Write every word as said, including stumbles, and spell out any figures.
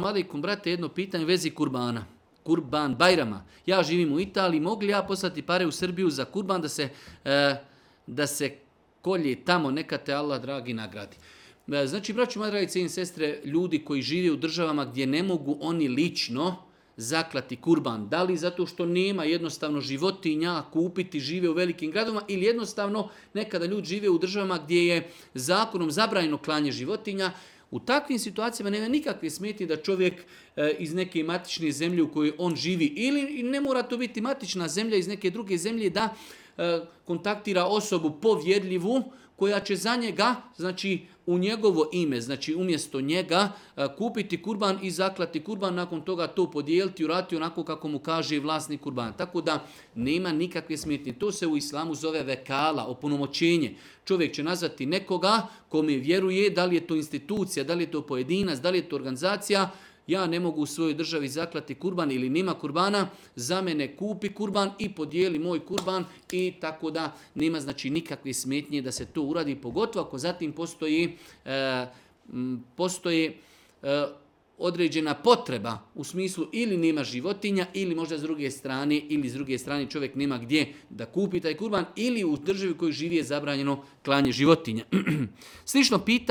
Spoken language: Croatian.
Alejkum, brate, jedno pitanje u vezi kurbana. Kurban Bajrama. Ja živim u Italiji, mogu li ja poslati pare u Srbiju za kurban da se, e, da se kolje tamo, neka te Allah dragi nagradi. E, znači, braću, moje dragi cijene sestre, ljudi koji žive u državama gdje ne mogu oni lično zaklati kurban. Da li zato što nema jednostavno životinja kupiti, žive u velikim gradovima, ili jednostavno nekada ljudi žive u državama gdje je zakonom zabranjeno klanje životinja. U takvim situacijama nema nikakve smetnje da čovjek e, iz neke matične zemlje u kojoj on živi, ili ne mora to biti matična zemlja, iz neke druge zemlje, da e, kontaktira osobu povjerljivu koja će za njega, znači u njegovo ime, znači umjesto njega e, kupiti kurban i zaklati kurban, nakon toga to podijeliti, uraditi onako kako mu kaže vlasnik kurbana. Tako da nema nikakve smetnje. To se u islamu zove vekala, opunomoćenje. Čovjek će nazvati nekoga kome vjeruje, da li je to institucija, da li je to pojedinac, da li je to organizacija. Ja ne mogu u svojoj državi zaklati kurban ili nema kurbana, za mene kupi kurban i podijeli moj kurban, i tako da nema znači nikakve smetnje da se to uradi, pogotovo ako zatim postoji, e, postoji e, određena potreba u smislu ili nema životinja, ili možda s druge strane, ili s druge strane čovjek nema gdje da kupi taj kurban, ili u državi u kojoj živi je zabranjeno klanje životinja. Slično pitanje